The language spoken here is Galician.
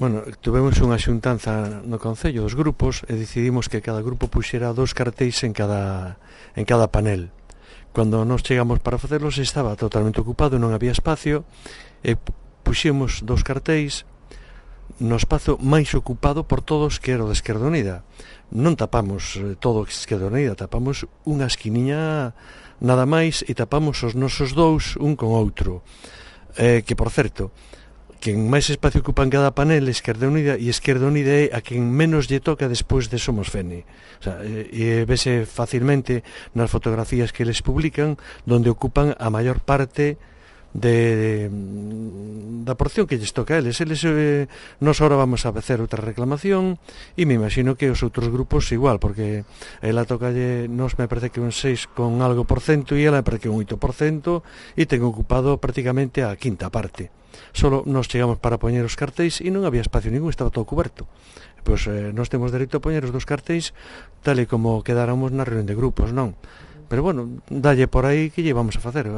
Bueno, tuvemos unha xuntanza no Concello dos grupos e decidimos que cada grupo puxera 2 cartéis en cada panel. Cando nos chegamos para facerlos estaba totalmente ocupado, non había espacio, e puxemos 2 cartéis no espazo máis ocupado por todos, que era o de Esquerda Unida. Non tapamos todo o Esquerda Unida, tapamos unha esquiniña nada máis e tapamos os nosos dous un con outro. Que, por certo, quen máis espacio ocupa en cada panel Esquerda Unida, e Esquerda Unida é a quen menos lle toca despois de Somos Fene. O sea, e vese facilmente nas fotografías que eles publican, donde ocupan a maior parte da porción que lles toca a eles. Nos ahora vamos a facer outra reclamación, e me imagino que os outros grupos igual, porque ela tocalle, nos me parece que un 6 con algo por cento, e ela me parece que un 8%, e ten ocupado prácticamente a quinta parte. Solo nos chegamos para poñer os cartéis e non había espacio ningún, estaba todo coberto. Pois nos temos dereito a poñer os 2 cartéis tal e como quedáramos na reunión de grupos, non? Pero bueno, dalle por aí que lle vamos a facer.